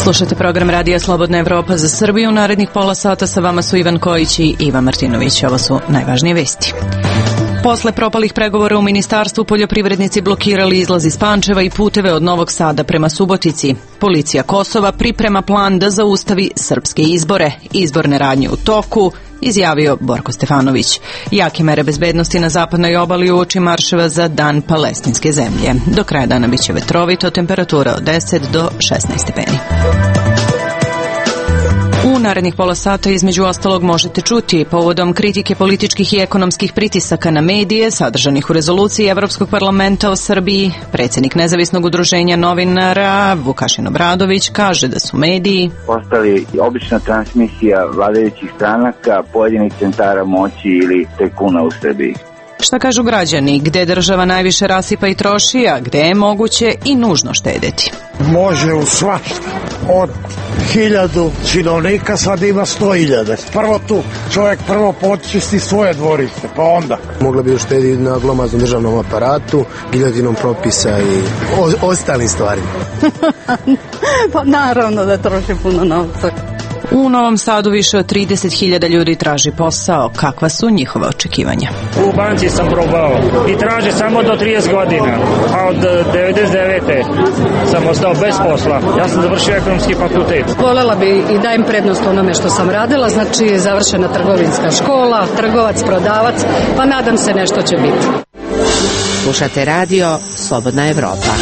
Slušate program Radija Slobodna Evropa za Srbiju. Narednih pola sata sa vama su Ivan Kojić i Ivan Martinović. Ovo su najvažnije vesti. Posle propalih pregovora u Ministarstvu poljoprivrednici blokirali izlaz iz Pančeva i puteve od Novog Sada prema Subotici. Policija Kosova priprema plan da zaustavi srpske izbore. Izborne radnje u toku, izjavio Borko Stefanović. Jake mere bezbednosti na zapadnoj obali uoči marševa za Dan palestinske zemlje. Do kraja dana biće vetrovito, temperatura od 10 do 16 stepeni. U narednih pola sata između ostalog možete čuti povodom kritike političkih i ekonomskih pritisaka na medije sadržanih u rezoluciji Evropskog parlamenta o Srbiji. Predsjednik Nezavisnog udruženja novinara Vukašin Obradović kaže da su mediji postali obična transmisija vladajućih stranaka, pojedinih centara moći ili tajkuna u Srbiji. Šta kažu građani, gde država najviše rasipa i troši, a gde je moguće i nužno štedeti? Može u svašta. Od 1000 činovnika sad ima 100.000. Prvo tu čovjek počisti svoje dvorište, pa onda. Mogla bi uštediti na glomaznom državnom aparatu, giljatinom propisa i ostalim stvarima. Pa naravno da troši puno novca. U Novom Sadu više od 30.000 ljudi traži posao. Kakva su njihova očekivanja? U banci sam probao i traže samo do 30 godina, a od 99. sam ostao bez posla. Ja sam završio ekonomski fakultet. Volela bi i dajem prednost onome što sam radila, znači završena trgovinska škola, trgovac, prodavac, pa nadam se nešto će biti. Slušate radio Slobodna Evropa.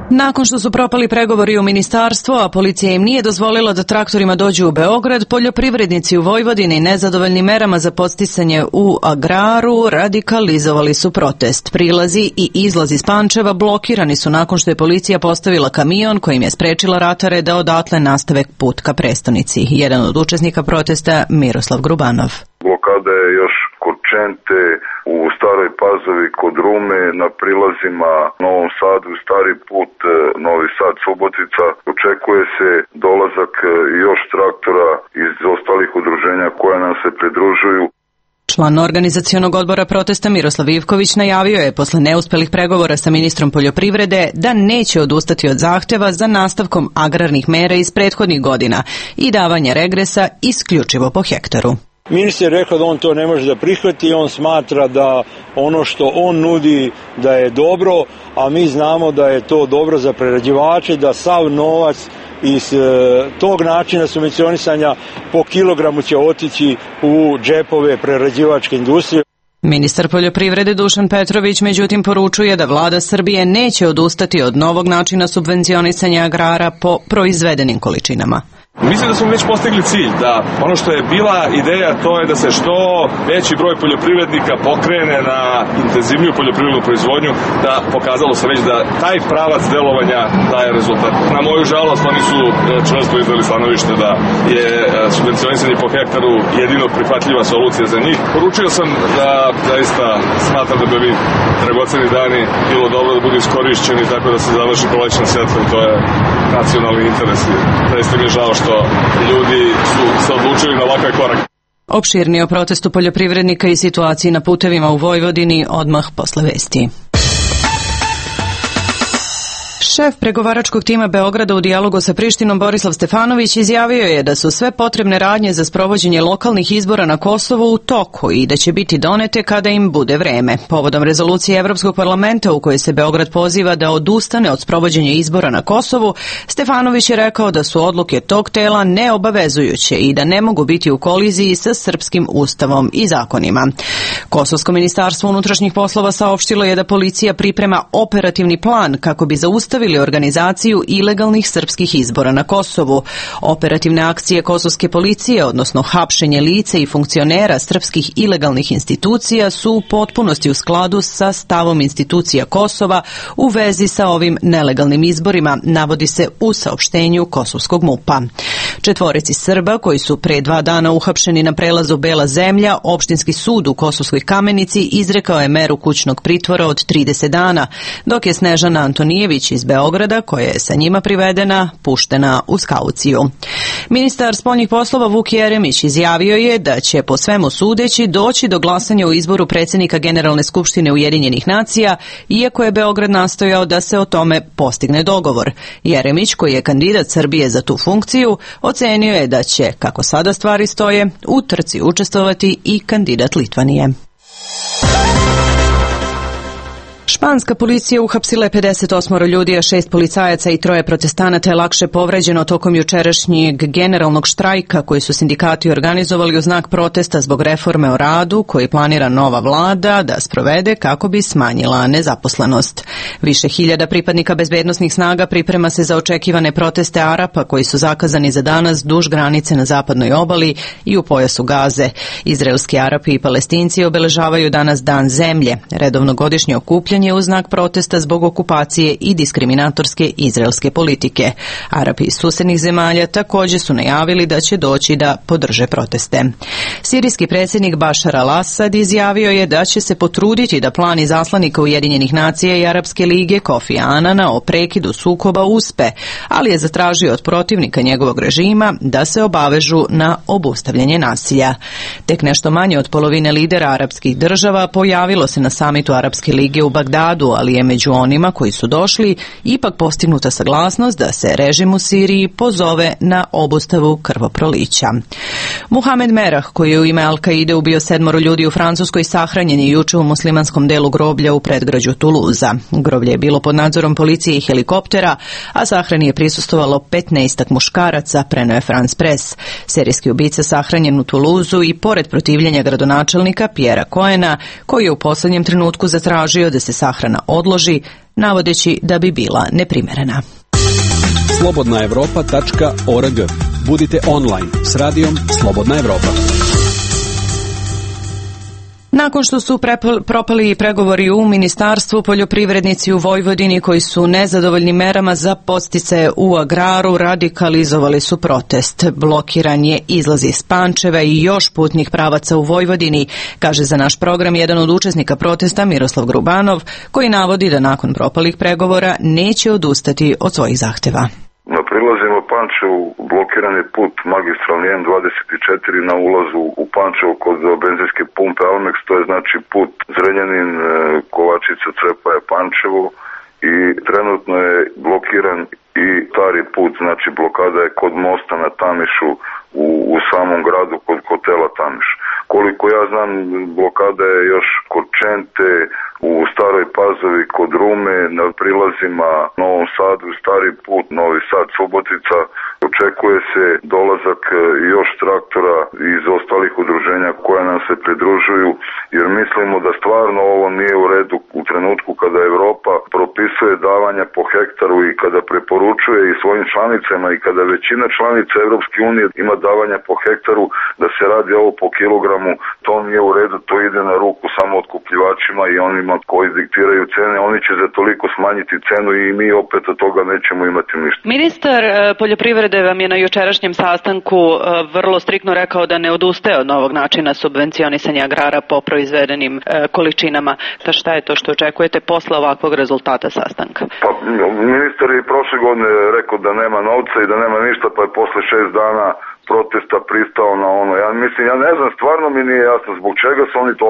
Nakon što su propali pregovori u ministarstvu, a policija im nije dozvolila da traktorima dođu u Beograd, poljoprivrednici u Vojvodini nezadovoljni merama za podsticanje u agraru radikalizovali su protest. Prilazi i izlaz iz Pančeva blokirani su nakon što je policija postavila kamion kojim je sprečila ratare da odatle nastave put ka prestonici. Jedan od učesnika protesta Miroslav Grubanov. Blokada je još kod Čente, u Staroj Pazovi, kod Rume, na prilazima Novom Sadu, Stari put, Novi Sad, Subotica. Očekuje se dolazak još traktora iz ostalih udruženja koja nam se pridružuju. Član organizacionog odbora protesta Miroslav Ivković najavio je posle neuspelih pregovora sa ministrom poljoprivrede da neće odustati od zahteva za nastavkom agrarnih mera iz prethodnih godina i davanja regresa isključivo po hektaru. Ministar je rekao da on to ne može da prihvati, on smatra da ono što on nudi da je dobro, a mi znamo da je to dobro za prerađivače, da sav novac iz tog načina subvencionisanja po kilogramu će otići u džepove prerađivačke industrije. Ministar poljoprivrede Dušan Petrović međutim poručuje da vlada Srbije neće odustati od novog načina subvencionisanja agrara po proizvedenim količinama. Mislim da smo već postigli cilj, da ono što je bila ideja to je da se što veći broj poljoprivrednika pokrene na intenzivniju poljoprivrednu proizvodnju, da pokazalo se već da taj pravac delovanja daje rezultat. Na moju žalost oni su čvrsto izdali stanovište da je subvencionisanje po hektaru jedino prihvatljiva solucija za njih. Poručio sam da zaista smatram da bi ovi dragoceni dani bilo dobro da budu iskorišćeni tako da se završi prolećna sjetva i to je nacionalni interes. Zaista mi je žao što ljudi su se odlučili na ovakav korak. Opširnije o protestu poljoprivrednika i situaciji na putevima u Vojvodini odmah posle vesti. Šef pregovaračkog tima Beograda u dijalogu sa Prištinom Borislav Stefanović izjavio je da su sve potrebne radnje za sprovođenje lokalnih izbora na Kosovu u toku i da će biti donete kada im bude vreme. Povodom rezolucije Evropskog parlamenta u kojoj se Beograd poziva da odustane od sprovođenja izbora na Kosovu, Stefanović je rekao da su odluke tog tela neobavezujuće i da ne mogu biti u koliziji sa srpskim ustavom i zakonima. Kosovsko ministarstvo unutrašnjih poslova saopštilo je da policija priprema operativni plan kako bi zaustavili organizaciju ilegalnih srpskih izbora na Kosovu. Operativne akcije kosovske policije, odnosno hapšenje lice i funkcionera srpskih ilegalnih institucija, su u potpunosti u skladu sa stavom institucija Kosova u vezi sa ovim nelegalnim izborima, navodi se u saopštenju kosovskog MUP-a. Četvorici Srba koji su pre 2 dana uhapšeni na prelazu Bela zemlja, opštinski sud u Kosovskoj Kamenici izrekao je meru kućnog pritvora od 30 dana, dok je Snežana Antonijević iz Beograda, koja je sa njima privedena, puštena uz kauciju. Ministar spoljnih poslova Vuk Jeremić izjavio je da će po svemu sudeći doći do glasanja u izboru predsjednika Generalne skupštine Ujedinjenih nacija, iako je Beograd nastojao da se o tome postigne dogovor. Jeremić, koji je kandidat Srbije za tu funkciju, ocenio je da će, kako sada stvari stoje, u trci učestvovati i kandidat Litvanije. Španska policija uhapsila je 58 ljudi, a 6 policajaca i 3 protestanata je lakše povređeno tokom jučerašnjeg generalnog štrajka koji su sindikati organizovali u znak protesta zbog reforme o radu koji planira nova vlada da sprovede kako bi smanjila nezaposlenost. Više hiljada pripadnika bezbednosnih snaga priprema se za očekivane proteste Arapa koji su zakazani za danas duž granice na zapadnoj obali i u pojasu Gaze. Izraelski Arapi i Palestinci obeležavaju danas Dan zemlje, redovno godišnje okupljanje u znak protesta zbog okupacije i diskriminatorske izraelske politike. Arapi iz susednih zemalja također su najavili da će doći da podrže proteste. Sirijski predsjednik Bašar al-Asad izjavio je da će se potruditi da plan izaslanika Ujedinjenih nacija i Arapske lige Kofi Anana o prekidu sukoba uspe, ali je zatražio od protivnika njegovog režima da se obavežu na obustavljanje nasilja. Tek nešto manje od polovine lidera arapskih država pojavilo se na samitu Arapske lige u Bagdadu, ali je među onima koji su došli ipak postignuta saglasnost da se režim u Siriji pozove na obustavu krvoprolića. Muhamed Merah, koji je u ime Al-Kaide ubio 7 ljudi u Francuskoj, sahranjen je juče u muslimanskom delu groblja u predgrađu Tuluza. Groblje je bilo pod nadzorom policije i helikoptera, a sahrani je prisustvovalo 15 muškaraca, preneo je France Press. Serijski ubica sahranjen u Tuluzu i pored protivljenja gradonačelnika Pierrea Cohena, koji je u posljednjem trenutku zatražio da se sahrana odloži, navodeći da bi bila neprimerena. slobodnaevropa.org. Budite online s radijom Slobodna Evropa. Nakon što su propali pregovori u Ministarstvu, poljoprivrednici u Vojvodini koji su nezadovoljni merama za podsticaje u agraru radikalizovali su protest. Blokiran je izlaz iz Pančeva i još putnih pravaca u Vojvodini, kaže za naš program jedan od učesnika protesta Miroslav Grubanov, koji navodi da nakon propalih pregovora neće odustati od svojih zahteva. Na prilazima Pančevu blokiran je put magistralni M24 na ulazu u Pančevo kod benzinske pumpe Almex, to je znači put Zrenjanin, Kovačica, Crepaja, Pančevo i trenutno je blokiran i stari put, znači blokada je kod mosta na Tamišu u samom gradu kod hotela Tamiš. Koliko ja znam, blokada je još kod Čente, u Staroj Pazovi, kod Rume, na prilazima Novom Sadu, stari put, Novi Sad, Subotica. Očekuje se dolazak još traktora iz ostalih udruženja koja nam se pridružuju, jer mislimo da stvarno ovo nije u redu u trenutku kada Evropa propisuje davanja po hektaru i kada preporučuje i svojim članicama i kada većina članica Evropske unije ima davanja po hektaru, da se radi ovo po kilogramu. To nije u redu, to ide na ruku samo otkupljivačima i onima koji diktiraju cene. Oni će za toliko smanjiti cenu i mi opet od toga nećemo imati ništa. Ministar poljoprivrede vam je na jučerašnjem sastanku vrlo striktno rekao da ne odustaje od novog načina subvencionisanja agrara po proizvedenim količinama. Pa šta je to što očekujete posle ovakvog rezultata sastanka? Pa ministar je prošle godine rekao da nema novca i da nema ništa, pa je posle 6 dana protesta pristao na ono. Ja ne znam, stvarno mi nije jasno zbog čega su oni to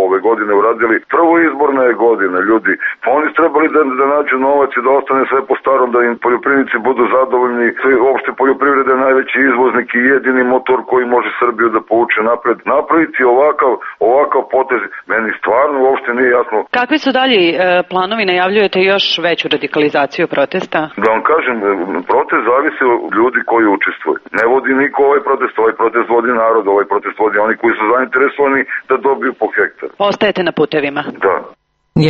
ove godine uradili. Prvo izborna je godina, ljudi. Pa oni su trebali da nađu novac i da ostane sve po starom, da im poljoprivrednici budu zadovoljni. Uopšte poljoprivreda je najveći izvoznik i jedini motor koji može Srbiju da povuče napred. Napraviti ovakav potez, meni stvarno uopšte nije jasno. Kakvi su dalje planovi? Najavljujete još veću radikalizaciju protesta? Da vam kažem, protest zavisi od ljudi koji učestvuju. Ne vodi niko ovaj protest vodi narod, ovaj protest vodi oni koji su zainteresovani da dobiju po hektar. Ostajete na putevima? Da.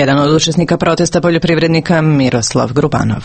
Jedan od učesnika protesta poljoprivrednika Miroslav Grubanov.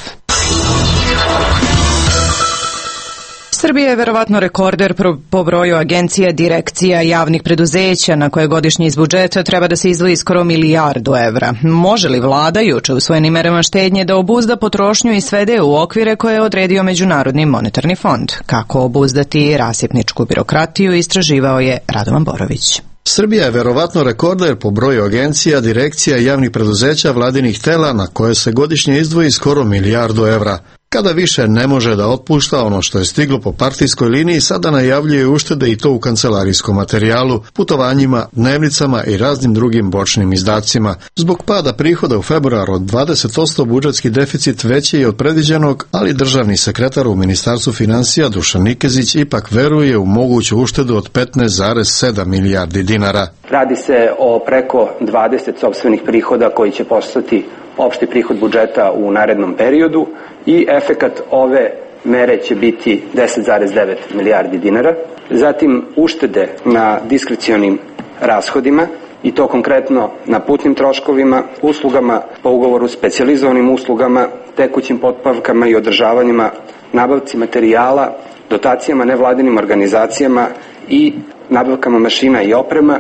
Srbija je verovatno rekorder po broju agencija, direkcija, javnih preduzeća na koje godišnje iz budžeta treba da se izdvoji skoro milijardu evra. Može li vlada juče usvojenim merama štednje da obuzda potrošnju i svede u okvire koje je odredio Međunarodni monetarni fond? Kako obuzdati rasipničku birokratiju, istraživao je Radovan Borović. Srbija je verovatno rekorder po broju agencija, direkcija i javnih preduzeća vladinih tela na koje se godišnje izdvoji skoro milijardu evra. Kada više ne može da otpušta ono što je stiglo po partijskoj liniji, sada najavljuje uštede i to u kancelarijskom materijalu, putovanjima, dnevnicama i raznim drugim bočnim izdacima. Zbog pada prihoda u februaru od 20% budžetski deficit veći je od predviđenog, ali državni sekretar u Ministarstvu finansija Dušan Nikezić ipak veruje u moguću uštedu od 15,7 milijardi dinara. Radi se o preko 20 sopstvenih prihoda koji će postati opšti prihod budžeta u narednom periodu i efekat ove mere će biti 10,9 milijardi dinara. Zatim uštede na diskrecionim rashodima i to konkretno na putnim troškovima, uslugama po ugovoru, specijalizovanim uslugama, tekućim potpavkama i održavanjima, nabavci materijala, dotacijama nevladinim organizacijama i nabavkama mašina i oprema.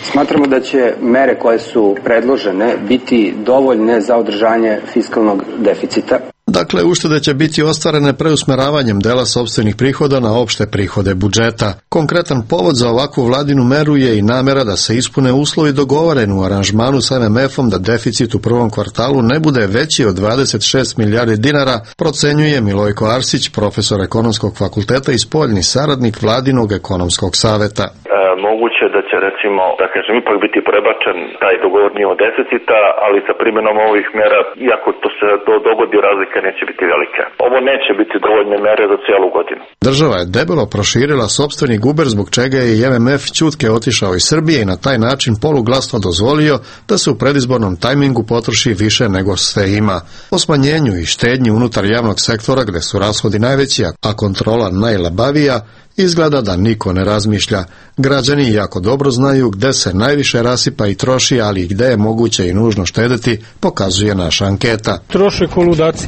Smatramo da će mere koje su predložene biti dovoljne za održanje fiskalnog deficita. Dakle, uštede će biti ostvarene preusmeravanjem dela sopstvenih prihoda na opšte prihode budžeta. Konkretan povod za ovakvu vladinu meru je i namera da se ispune uslovi dogovoreni u aranžmanu sa MMF-om da deficit u prvom kvartalu ne bude veći od 26 milijardi dinara, procenjuje Milojko Arsić, profesor ekonomskog fakulteta i spoljni saradnik vladinog ekonomskog saveta. Moguće da će, recimo, da kažem, ipak biti prebačen taj dogovor nivo deficita, ali sa primjenom ovih mera, iako to se dogodi, razlika neće biti velika. Ovo neće biti dovoljne mere za cijelu godinu. Država je debelo proširila sopstveni guber, zbog čega je i MMF ćutke otišao iz Srbije i na taj način poluglasno dozvolio da se u predizbornom tajmingu potroši više nego sve ima. O smanjenju i štednji unutar javnog sektora, gde su rashodi najveći, a kontrola najlabavija, izgleda da niko ne razmišlja. Građani jako dobro znaju gde se najviše rasipa i troši, ali i gde je moguće i nužno štedeti, pokazuje naša anketa. Troše ko ludaci.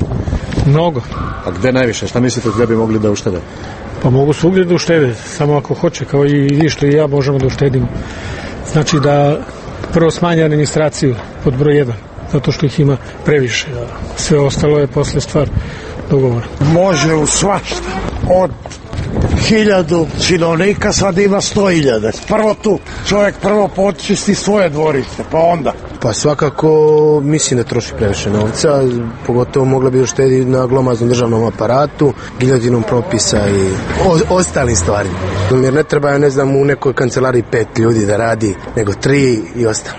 Mnogo. A gde najviše? Šta mislite gde bi mogli da uštede? Pa mogu svugdje da uštede, samo ako hoće, kao i vi što i ja možemo da uštedimo. Znači da prvo smanje administraciju pod broj 1, zato što ih ima previše. Sve ostalo je posle stvar dogovora. Može u svašta. Od 1000 činovnika sad ima 100.000. Prvo tu čovjek počisti svoje dvorište, pa onda. Pa svakako mislim da troši previše novca, pogotovo mogla bi uštediti na glomaznom državnom aparatu, giljatinom propisa i ostalim stvarima. Jer ne treba, ne znam, u nekoj kancelariji 5 ljudi da radi, nego 3 i ostalo.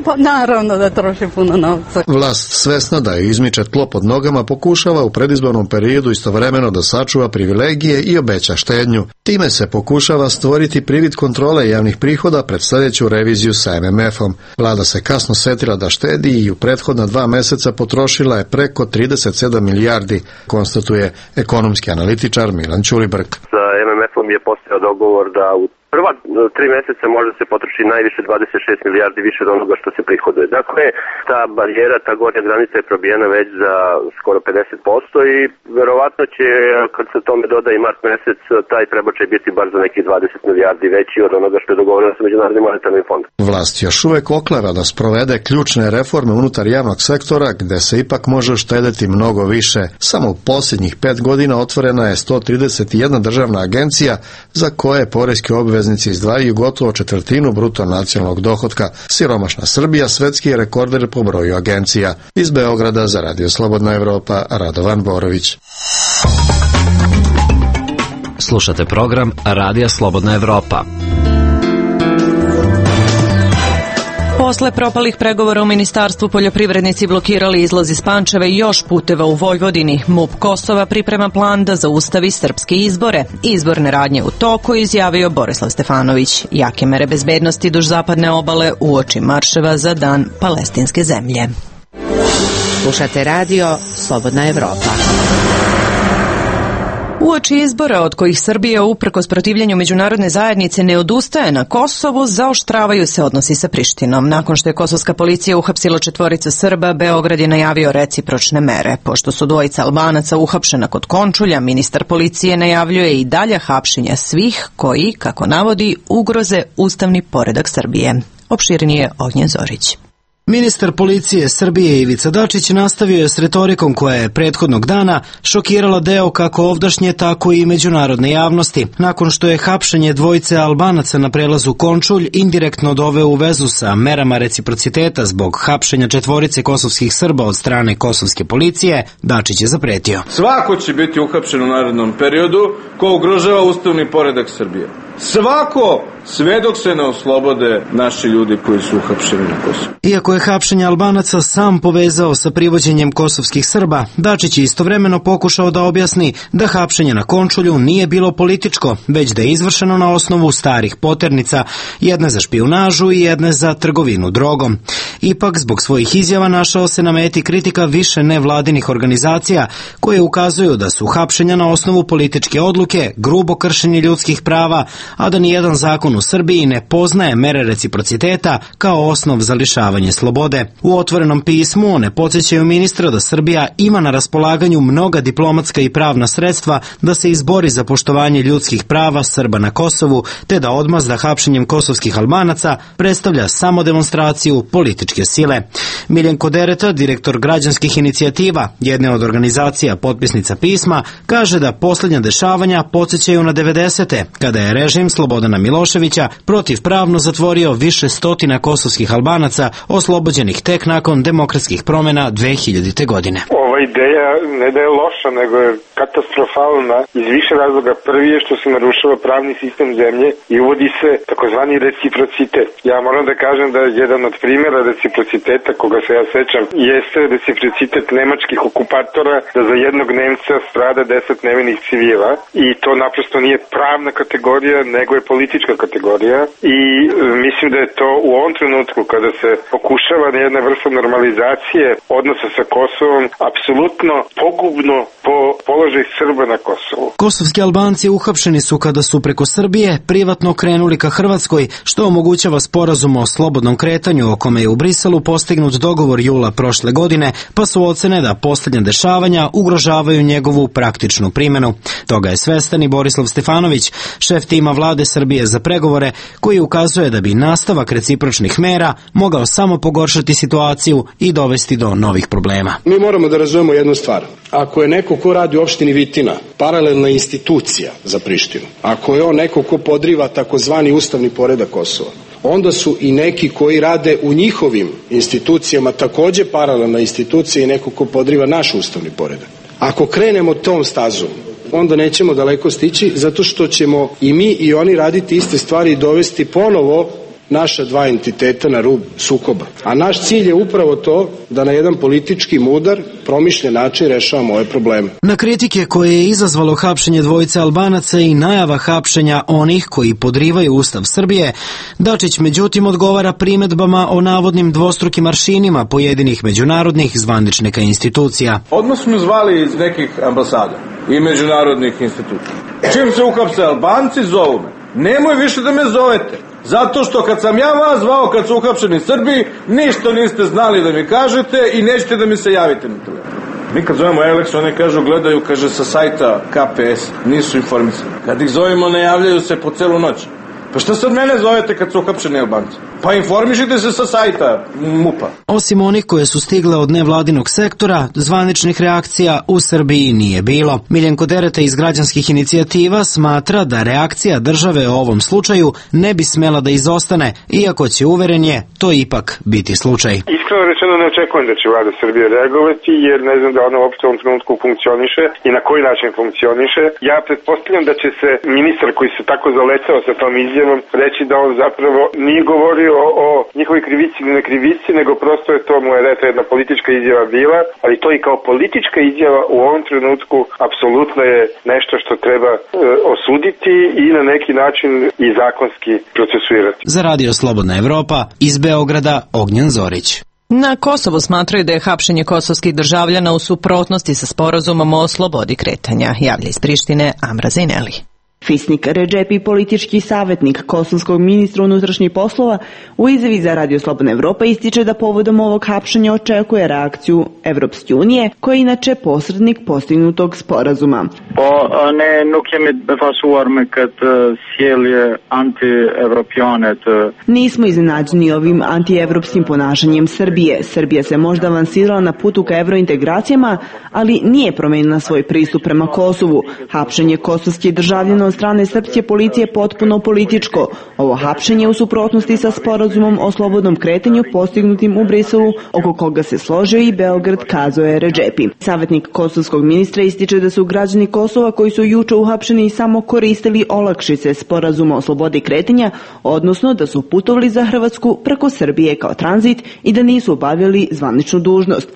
Pa naravno da troši puno novca. Vlast, svesna da je izmiče tlo pod nogama, pokušava u predizbornom periodu istovremeno da sačuva privilegije i obeća štednju. Time se pokušava stvoriti privid kontrole javnih prihoda pred sljedeću reviziju sa MMF-om. Vlada se kasno setila da štedi i u prethodna 2 meseca potrošila je preko 37 milijardi, konstatuje ekonomski analitičar Milan Ćulibrk. Sa MMF-om je postojao dogovor da u prva 3 meseca može se potroši najviše 26 milijardi više od onoga što se prihoduje. Dakle, ta barijera, ta gornja granica je probijena već za skoro 50% i verovatno će, kad se tome doda i mart mesec, taj prebačaj biti bar za nekih 20 milijardi veći od onoga što je dogovoreno sa Međunarodnim monetarnim fondom. Vlast još uvek okleva da sprovede ključne reforme unutar javnog sektora, gde se ipak može uštedeti mnogo više. Samo u posljednjih 5 godina otvorena je 131 državna agencija za koje poreski obveznici izdvajaju gotovo 1/4 bruto nacionalnog dohotka. Siromašna Srbija svetski je rekorder po broju agencija. Iz Beograda za Radio Slobodna Evropa, Radovan Borović. Slušate program Radija Slobodna Evropa. Posle propalih pregovora u Ministarstvu poljoprivrednici blokirali izlaz iz Pančeva i još puteva u Vojvodini. MUP Kosova priprema plan da zaustavi srpske izbore. Izborne radnje u toku, izjavio Borislav Stefanović. Jake mere bezbednosti duž zapadne obale uoči marševa za Dan palestinske zemlje. Slušate radio Slobodna Evropa. Uoči izbora od kojih Srbija uprkos protivljenju međunarodne zajednice ne odustaje na Kosovu, zaoštravaju se odnosi sa Prištinom. Nakon što je kosovska policija uhapsila 4 Srba, Beograd je najavio recipročne mere. Pošto su 2 Albanaca uhapšena kod Končulja, ministar policije najavljuje i dalje hapšenja svih koji, kako navodi, ugroze ustavni poredak Srbije. Opširnije Ognjen Zorić. Ministar policije Srbije Ivica Dačić nastavio je s retorikom koja je prethodnog dana šokirala deo kako ovdašnje, tako i međunarodne javnosti. Nakon što je hapšenje 2 Albanaca na prelazu Končulj indirektno doveo u vezu sa merama reciprociteta zbog hapšenja 4 kosovskih Srba od strane kosovske policije, Dačić je zapretio. Svako će biti uhapšen u narednom periodu ko ugrožava ustavni poredak Srbije. Svako, sve dok se ne oslobode naši ljudi koji su uhapšeni na Kosovu. Iako je hapšenje Albanaca sam povezao sa privođenjem kosovskih Srba, Dačić je istovremeno pokušao da objasni da hapšenje na Končulju nije bilo političko, već da je izvršeno na osnovu starih poternica, jedne za špijunažu i jedne za trgovinu drogom. Ipak, zbog svojih izjava našao se na meti kritika više nevladinih organizacija koje ukazuju da su hapšenja na osnovu političke odluke grubo kršenje ljudskih prava, a da nijedan zakon u Srbiji ne poznaje mere reciprociteta kao osnov za lišavanje slobode. U otvorenom pismu one podsjećaju ministra da Srbija ima na raspolaganju mnoga diplomatska i pravna sredstva da se izbori za poštovanje ljudskih prava Srba na Kosovu, te da odmazda hapšenjem kosovskih Albanaca predstavlja samo demonstraciju političke sile. Miljenko Dereta, direktor građanskih inicijativa, jedne od organizacija potpisnica pisma, kaže da posljednja dešavanja podsjećaju na 90. kada je režim Slobodana Miloševića protivpravno zatvorio više stotina kosovskih Albanaca oslobođenih tek nakon demokratskih promjena 2000. godine. Ova ideja ne da je loša, nego je katastrofalna iz više razloga. Prvi je što se narušava pravni sistem zemlje i uvodi se takozvani reciprocitet. Ja moram da kažem da jedan od primjera reciprociteta, koga se ja sećam, jeste reciprocitet nemačkih okupatora da za jednog Nemca strada 10 nevinih civila i to naprosto nije pravna kategorija, nego je politička kategorija i mislim da je to u ovom trenutku kada se pokušava jedna vrsta normalizacije odnosa sa Kosovom apsolutno pogubno po položaj Srba na Kosovu. Kosovski Albanci uhapšeni su kada su preko Srbije privatno krenuli ka Hrvatskoj, što omogućava sporazum o slobodnom kretanju o kome je u Briselu postignut dogovor jula prošle godine, pa su ocene da posljednja dešavanja ugrožavaju njegovu praktičnu primjenu. Toga je svestan i Borislav Stefanović, šef tima vlade Srbije za pregovore, koji ukazuje da bi nastavak recipročnih mera mogao samo pogoršati situaciju i dovesti do novih problema. Mi moramo da razumemo jednu stvar. Ako je neko ko radi u opštini Vitina paralelna institucija za Prištinu, ako je on neko ko podriva takozvani ustavni poredak Kosova, onda su i neki koji rade u njihovim institucijama takođe paralelna institucija i neko ko podriva naš ustavni poredak. Ako krenemo tom stazom, onda nećemo daleko stići, zato što ćemo i mi i oni raditi iste stvari i dovesti ponovo naša dva entiteta na rub sukoba. A naš cilj je upravo to da na jedan politički mudar, promišljen način rešavamo ove probleme. Na kritike koje je izazvalo hapšenje 2 Albanaca i najava hapšenja onih koji podrivaju Ustav Srbije, Dačić međutim odgovara primedbama o navodnim dvostrukim aršinima pojedinih međunarodnih zvaničnika institucija. Odmah smo zvali iz nekih ambasada i međunarodnih institucija. Čim se uhapse Albanci, zovu me. Nemoj više da me zovete. Zato što kad sam ja vas zvao kad su uhapšeni Srbi, ništa niste znali da mi kažete i nećete da mi se javite na telefon. Mi kad zovemo Alex, oni kažu, gledaju, kaže, sa sajta KPS, nisu informisani. Kad ih zovemo, ne javljaju se po celu noć. Pa što sad mene zovete kad su uhapšeni Albanci? Pa informišite se sa sajta MUP-a. Osim onih koje su stigle od nevladinog sektora, zvaničnih reakcija u Srbiji nije bilo. Miljenko Dereta iz građanskih inicijativa smatra da reakcija države u ovom slučaju ne bi smela da izostane, iako će, uveren je, to ipak biti slučaj. Iskreno rečeno ne očekujem da će vlada Srbije reagovati, jer ne znam da ona uopšte u ovom trenutku funkcioniše i na koji način funkcioniše. Ja pretpostavljam da će se ministar koji se tako zalecao sa tom izjavom reći da on zapravo nije govorio o njihovoj krivici ili nekrivici, nego prosto je to mu je jedna politička izjava bila, ali to i kao politička izjava u ovom trenutku apsolutno je nešto što treba osuditi i na neki način i zakonski procesuirati. Za Radio Slobodna Evropa iz Beograda, Ognjen Zorić. Na Kosovu smatraju da je hapšenje kosovskih državljana u suprotnosti sa sporazumom o slobodi kretanja, javlja iz Prištine Amra Zaineli. Fisnik Redžepi, politički savjetnik kosovskog ministra unutrašnjih poslova, u izjavi za Radio Slobodna Evropa ističe da povodom ovog hapšenja očekuje reakciju Evropske unije, koja je inače posrednik postignutog sporazuma. Nismo iznenađeni ovim antievropskim ponašanjem Srbije. Srbija se možda avansirala na putu ka evrointegracijama, ali nije promenila svoj pristup prema Kosovu. Hapšenje kosovskih državljana od strane srpske policije potpuno političko. Ovo hapšenje je u suprotnosti sa sporazumom o slobodnom kretanju postignutim u Briselu, oko koga se složio i Beograd, kazao je Redžepi. Savjetnik kosovskog ministra ističe da su građani Kosova koji su juče uhapšeni samo koristili olakšice sporazuma o slobodi kretanja, odnosno da su putovali za Hrvatsku preko Srbije kao tranzit i da nisu obavljali zvaničnu dužnost.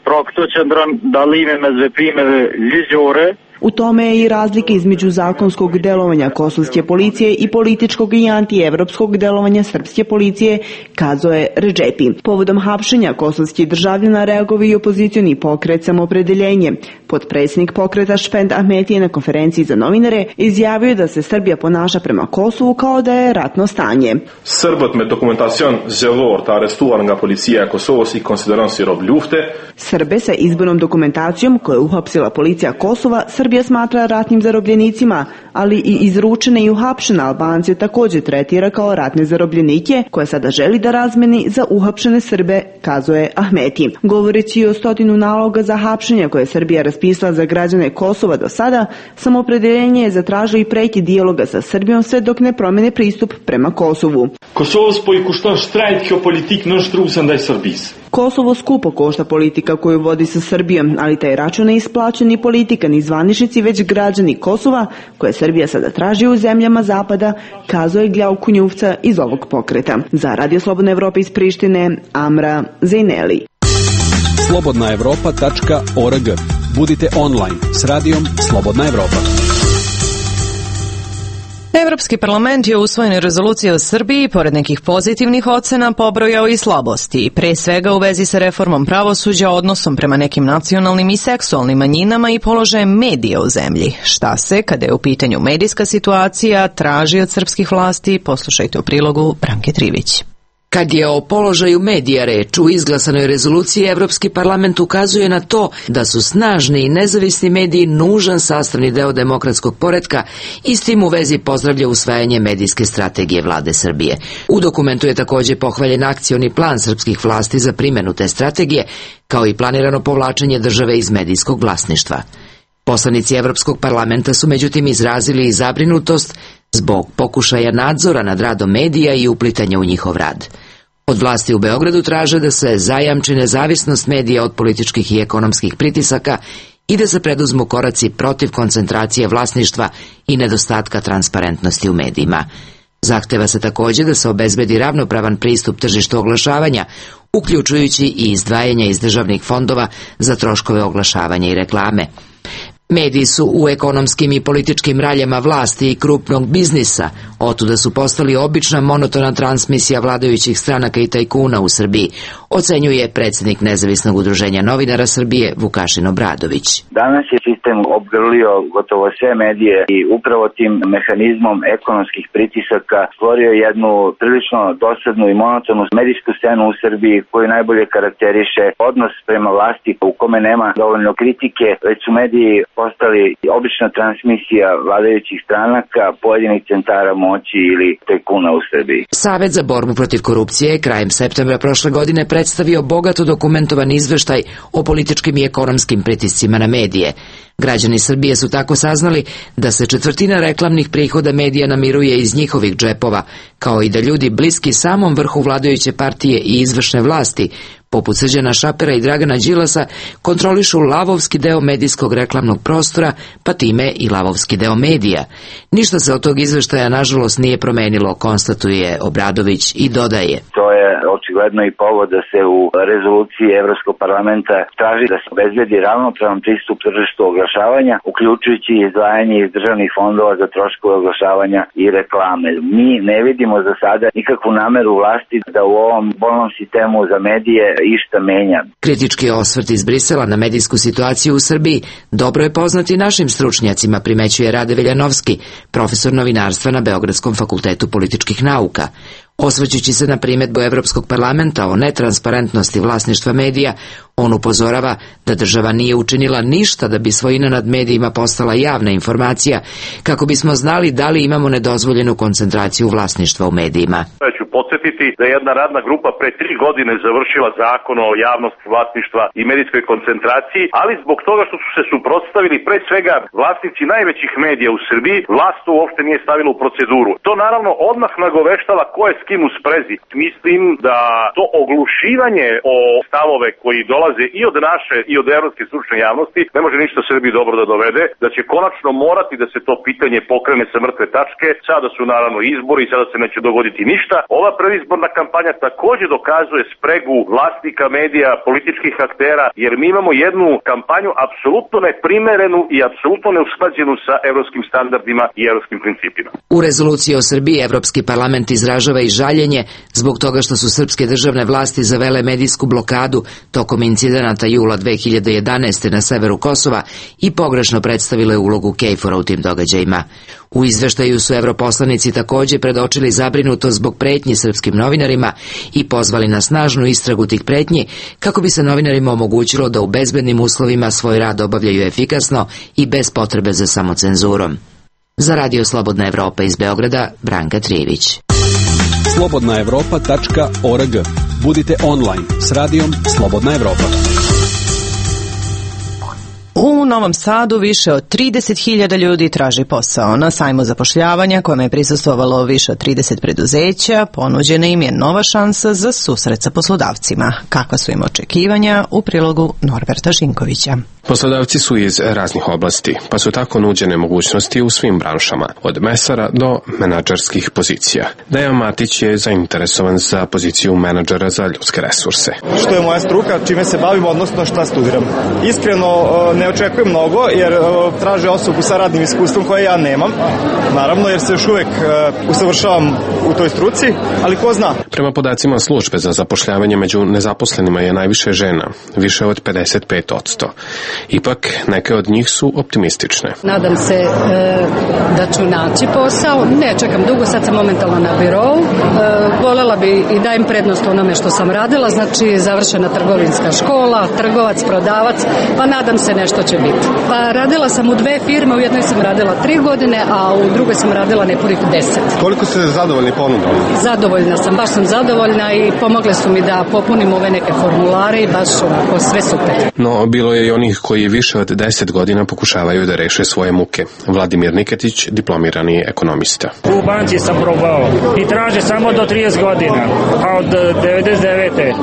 U tome je i razlika između zakonskog delovanja kosovske policije i političkog i antievropskog delovanja srpske policije, kazao je Redžepi. Povodom hapšenja kosovskih državljana reagovao i opozicioni pokret Samoopredeljenje. Potpredsjednik pokreta Špend Ahmeti je na konferenciji za novinare izjavio da se Srbija ponaša prema Kosovu kao da je ratno stanje. Srbët me dokumentacion zgjedhor të arrestuar nga policia e Kosovës i konsideron si rob lufte. Srbe sa izbornom dokumentacijom koju je uhapsila policija Kosova Srbija smatra ratnim zarobljenicima, ali i izručene i uhapšene Albance također tretira kao ratne zarobljenike koje sada želi da razmeni za uhapšene Srbe, kazao je Ahmeti. Govoreći o 100 naloga za hapšenje koje je Srbija raspisala za građane Kosova do sada, Samoopredeljenje je zatražio i prekid dijaloga sa Srbijom sve dok ne promene pristup prema Kosovu. Kosovës po i kushton shtrajt kjo politik nënshtruese ndaj Serbisë. Kosovo skupo košta politika koju vodi sa Srbijom, ali taj račun ne isplaćuje ni politika ni zvaničnici, već građani Kosova, koje Srbija sada traži u zemljama Zapada, kazao je Gljav Kunjuvca iz ovog pokreta. Za Radio Slobodna Evropa iz Prištine, Amra Zaineli. slobodnaevropa.org. Budite online s radijom Slobodna Evropa. Evropski parlament je u usvojenoj rezoluciji o Srbiji, pored nekih pozitivnih ocena, pobrojao i slabosti, pre svega u vezi sa reformom pravosuđa, odnosom prema nekim nacionalnim i seksualnim manjinama i položajem medija u zemlji. Šta se, kada je u pitanju medijska situacija, traži od srpskih vlasti? Poslušajte u prilogu Branke Trivić. Kad je o položaju medija reč u izglasanoj rezoluciji, Evropski parlament ukazuje na to da su snažni i nezavisni mediji nužan sastavni deo demokratskog poretka i s tim u vezi pozdravlja usvajanje medijske strategije vlade Srbije. U dokumentu je također pohvaljen akcioni plan srpskih vlasti za primjenu te strategije, kao i planirano povlačenje države iz medijskog vlasništva. Poslanici Evropskog parlamenta su međutim izrazili i zabrinutost zbog pokušaja nadzora nad radom medija i uplitanja u njihov rad. Od vlasti u Beogradu traže da se zajamči nezavisnost medija od političkih i ekonomskih pritisaka i da se preduzmu koraci protiv koncentracije vlasništva i nedostatka transparentnosti u medijima. Zahteva se također da se obezbedi ravnopravan pristup tržištu oglašavanja, uključujući i izdvajanja iz državnih fondova za troškove oglašavanja i reklame. Mediji su u ekonomskim i političkim raljama vlasti i krupnog biznisa, otuda su postali obična monotona transmisija vladajućih stranaka i tajkuna u Srbiji, ocenjuje predsjednik Nezavisnog udruženja novinara Srbije Vukašin Obradović. Danas je sistem obgrlio gotovo sve medije i upravo tim mehanizmom ekonomskih pritisaka stvorio jednu prilično dosadnu i monotonu medijsku scenu u Srbiji koju najbolje karakteriše odnos prema vlasti u kome nema dovoljno kritike, već su mediji postali obična transmisija vladajućih stranaka, pojedinih centara moći ili tajkuna u Srbiji. Savet za borbu protiv korupcije je krajem septembra prošle godine predstavio bogato dokumentovan izveštaj o političkim i ekonomskim pritiscima na medije. Građani Srbije su tako saznali da se 1/4 reklamnih prihoda medija namiruje iz njihovih džepova, kao i da ljudi bliski samom vrhu vladajuće partije i izvršne vlasti, poput Srđana Šapera i Dragana Đilasa, kontrolišu lavovski deo medijskog reklamnog prostora, pa time i lavovski deo medija. Ništa se od tog izveštaja nažalost nije promenilo, konstatuje Obradović i dodaje. To je očigledno i povod da se u rezoluciji Evropskog parlamenta traži da se obezbedi ravnopravan pristup tržištu oglašavanja, uključujući izdvajanje iz državnih fondova za troškove oglašavanja i reklame. Mi ne vidimo za sada nikakvu nameru vlasti da u ovom bolnom sistemu za medije išta menja. Kritički osvrt iz Brisela na medijsku situaciju u Srbiji dobro je poznati našim stručnjacima, primećuje Rade Veljanovski, profesor novinarstva na Beogradskom fakultetu političkih nauka. Osvrćući se na primedbu Evropskog parlamenta o netransparentnosti vlasništva medija, on upozorava da država nije učinila ništa da bi svojina nad medijima postala javna informacija, kako bismo znali da li imamo nedozvoljenu koncentraciju vlasništva u medijima. Ja ću podsjetiti da je jedna radna grupa pre 3 godine završila zakon o javnosti vlasništva i medijskoj koncentraciji, ali zbog toga što su se suprotstavili pre svega vlasnici najvećih medija u Srbiji, vlast to uopšte nije stavila u proceduru. To naravno odmah nagoveštava ko je s kim u sprezi. Mislim da to oglušivanje o stavove koji dolaze i od naše i od evropske stručne javnosti ne može ništa Srbiji dobro da dovede, da će konačno morati da se to pitanje pokrene sa mrtve tačke. Sada su naravno izbori i sada se neće dogoditi ništa. Ova predizborna kampanja takođe dokazuje spregu vlasnika medija, političkih aktera, jer mi imamo jednu kampanju apsolutno neprimerenu i apsolutno neusklađenu sa evropskim standardima i evropskim principima. U rezoluciji o Srbiji Evropski parlament izražava i žaljenje zbog toga što su srpske državne vlasti zavele medijsku blokadu tokom incidenata jula 2011. na severu Kosova i pogrešno predstavile ulogu KFOR-a u tim događajima. U izveštaju su europoslanici takođe predočili zabrinutost zbog pretnji srpskim novinarima i pozvali na snažnu istragu tih pretnji kako bi se novinarima omogućilo da u bezbednim uslovima svoj rad obavljaju efikasno i bez potrebe za samocenzurom. Za Radio Slobodna Evropa iz Beograda, Branka Trijević. slobodnaevropa.org. Budite online s radijom Slobodna Evropa. U Novom Sadu više od 30.000 ljudi traži posao. Na sajmu zapošljavanja, kome je prisustvovalo više od 30 preduzeća, ponuđena im je nova šansa za susret sa poslodavcima. Kakva su im očekivanja, u prilogu Norberta Žinkovića. Poslodavci su iz raznih oblasti, pa su tako nuđene mogućnosti u svim branšama, od mesara do menadžerskih pozicija. Dejan Matić je zainteresovan za poziciju menadžera za ljudske resurse. Što je moja struka, čime se bavim, odnosno šta studiram. Iskreno ne očekujem mnogo, jer traže osobu sa radnim iskustvom koje ja nemam, naravno, jer se još uvek usavršavam u toj struci, ali ko zna. Prema podacima službe za zapošljavanje, među nezaposlenima je najviše žena, više od 55%. Ipak, neke od njih su optimistične. Nadam se da ću naći posao. Ne čekam dugo, sad sam momentalno na birou. Volela bi i dajem prednost onome što sam radila, znači završena trgovinska škola, trgovac, prodavac, pa nadam se nešto će biti. Pa radila sam u 2 firme, u jednoj sam radila 3 godine, a u drugoj sam radila nepunih 10. Koliko ste zadovoljni ponudom? Zadovoljna sam, baš sam zadovoljna i pomogle su mi da popunim ove neke formulare i baš onako sve super. No, bilo je i onih koji više od 10 godina pokušavaju da reše svoje muke. Vladimir Niketić, diplomirani ekonomista. U banci sam probao i traže samo do 30 godina, a od 99.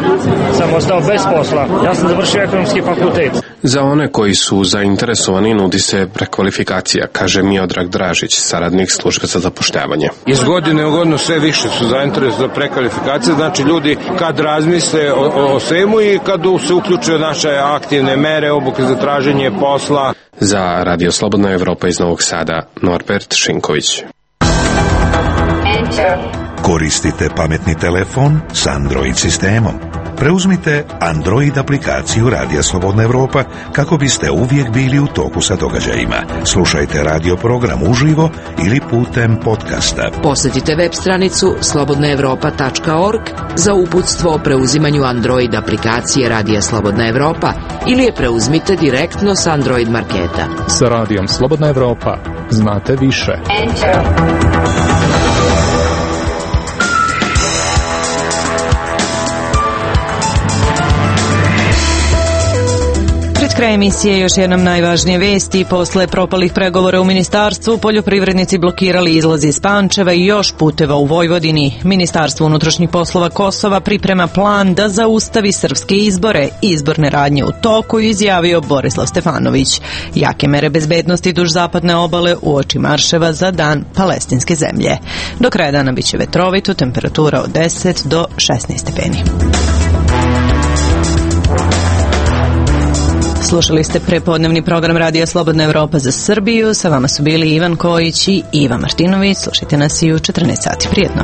sam ostao bez posla. Ja sam završio ekonomski fakultet. Za one koji su zainteresovani nudi se prekvalifikacija, kaže Miodrag Dražić, saradnik službe za zapošljavanje. Iz godine u godinu sve više su zainteresovani za prekvalifikacije, znači ljudi kad razmisle o svemu i kad se uključuju u naše aktivne mere, obuke za traženje posla. Za Radio Slobodna Evropa iz Novog Sada, Norbert Šinković. Koristite pametni telefon s Android sistemom. Preuzmite Android aplikaciju Radija Slobodna Evropa kako biste uvijek bili u toku sa događajima. Slušajte radio program uživo ili putem podcasta. Posjetite web stranicu slobodnaevropa.org za uputstvo o preuzimanju Android aplikacije Radija Slobodna Evropa ili je preuzmite direktno s Android marketa. Sa Radijom Slobodna Evropa znate više. Kraj emisije još jednom najvažnije vesti. Posle propalih pregovora u ministarstvu, poljoprivrednici blokirali izlaz iz Pančeva i još puteva u Vojvodini. Ministarstvo unutrašnjih poslova Kosova priprema plan da zaustavi srpske izbore. Izborne radnje u toku, izjavio Borislav Stefanović. Jake mere bezbednosti duž zapadne obale uoči marševa za dan palestinske zemlje. Do kraja dana biće vetrovito, temperatura od 10 do 16 stepeni. Slušali ste prepodnevni program Radija Slobodna Evropa za Srbiju. Sa vama su bili Ivan Kojić i Iva Martinović. Slušajte nas i u 14 sati. Prijetno.